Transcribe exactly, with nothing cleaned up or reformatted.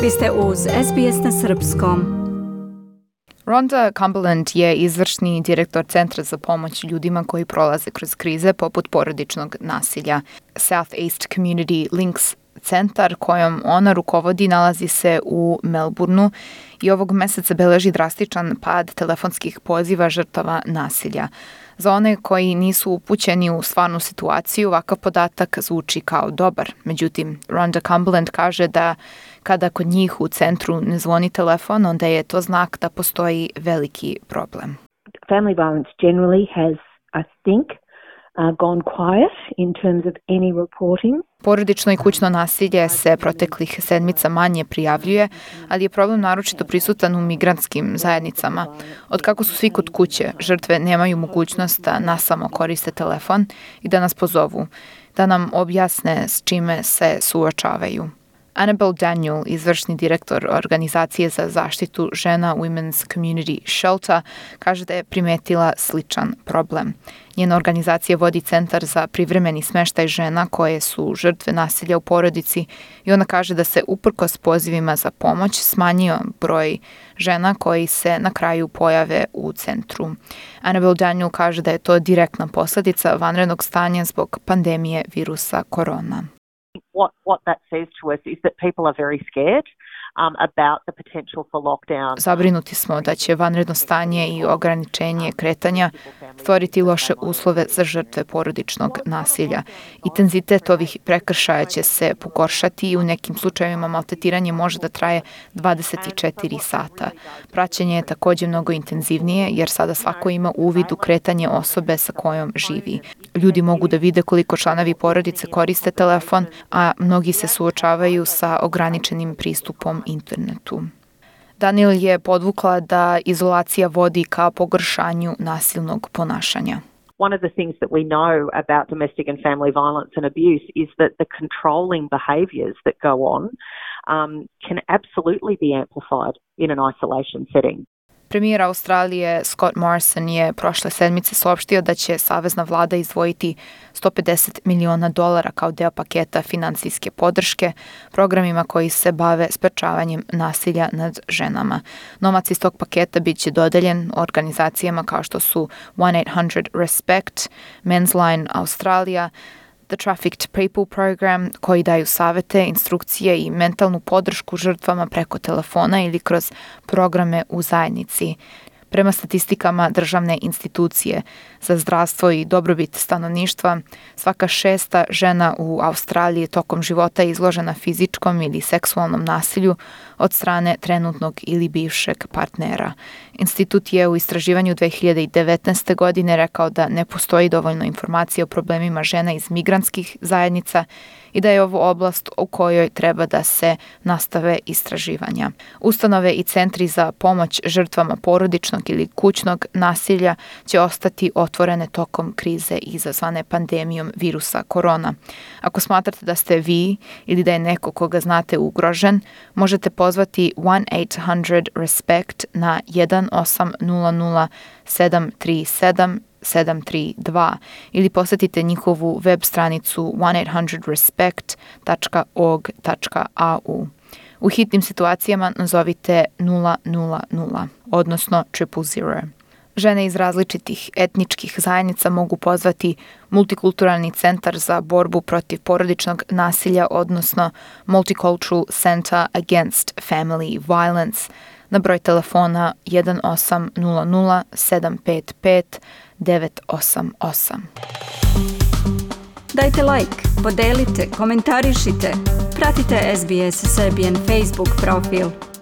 Vi ste uz S B S na srpskom. Rhonda Cumberland je izvršni direktor Centra za pomoć ljudima koji prolaze kroz krize poput porodičnog nasilja. Southeast Community Links centar kojom ona rukovodi nalazi se u Melbourneu i ovog meseca beleži drastičan pad telefonskih poziva žrtava nasilja. Za one koji nisu upućeni u stvarnu situaciju, ovakav podatak zvuči kao dobar. Međutim, Rhonda Cumberland kaže da kada kod njih u centru ne zvoni telefon, onda je to znak da postoji veliki problem. Family violence generally has, I think, uh, gone quiet in terms of any reporting. Porodično i kućno nasilje se proteklih sedmica manje prijavljuje, ali je problem naročito prisutan u migrantskim zajednicama. Od kako su svi kod kuće, žrtve nemaju mogućnost da nasamo koriste telefon i da nas pozovu, da nam objasne s čime se suočavaju. Annabelle Daniel, izvršni direktor organizacije za zaštitu žena Women's Community Shelter, kaže da je primetila sličan problem. Njena organizacija vodi centar za privremeni smeštaj žena koje su žrtve nasilja u porodici i ona kaže da se uprkos pozivima za pomoć smanjio broj žena koji se na kraju pojave u centru. Annabelle Daniel kaže da je to direktna posledica vanrednog stanja zbog pandemije virusa korona. What what that says to us is that people are very scared um, about the potential for lockdown. Zabrinuti smo da će vanredno stanje i ograničenje kretanja stvoriti loše uslove za žrtve porodičnog nasilja. Intenzitet ovih prekršaja će se pogoršati i u nekim slučajevima maltretiranje može da traje dvadeset četiri sata. Praćenje je također mnogo intenzivnije jer sada svako ima uvid u kretanje osobe sa kojom živi. Ljudi mogu da vide koliko članovi porodice koriste telefon, a mnogi se suočavaju sa ograničenim pristupom internetu. Daniel je podvukla da izolacija vodi ka pogoršanju nasilnog ponašanja. One of the things that we know about domestic and family violence and abuse is that the controlling behaviours that go on um, can absolutely be amplified in an isolation setting. Premijer Australije Scott Morrison je prošle sedmice saopštio da će savezna vlada izdvojiti sto pedeset miliona dolara kao deo paketa finansijske podrške programima koji se bave sprečavanjem nasilja nad ženama. Novac iz tog paketa bit će dodeljen organizacijama kao što su one eight hundred respect, Men's Line Australia, The Trafficked People Program, koji daju savete, instrukcije i mentalnu podršku žrtvama preko telefona ili kroz programe u zajednici. Prema statistikama državne institucije za zdravstvo i dobrobit stanovništva, svaka šesta žena u Australiji tokom života je izložena fizičkom ili seksualnom nasilju od strane trenutnog ili bivšeg partnera. Institut je u istraživanju dve hiljade devetnaeste. godine rekao da ne postoji dovoljno informacija o problemima žena iz migrantskih zajednica i da je ovo oblast u kojoj treba da se nastave istraživanja. Ustanove i centri za pomoć žrtvama porodičnog ili kućnog nasilja će ostati otvorene tokom krize izazvane pandemijom virusa korona. Ako smatrate da ste vi ili da je neko koga znate ugrožen, možete pozvati one eight hundred respect na jedan osam nula nula sedam tri sedam sedam tri dva ili posjetite njihovu web stranicu one eight hundred respect dot org dot a u. U hitnim situacijama nazovite nula nula nula, odnosno triple zero. Žene iz različitih etničkih zajednica mogu pozvati Multikulturalni centar za borbu protiv porodičnog nasilja, odnosno Multicultural Center Against Family Violence, na broj telefona jedan osam nula nula sedam pet pet devet osam osam. Dajte like, podelite, komentarišite, pratite S B S Serbian Facebook profil.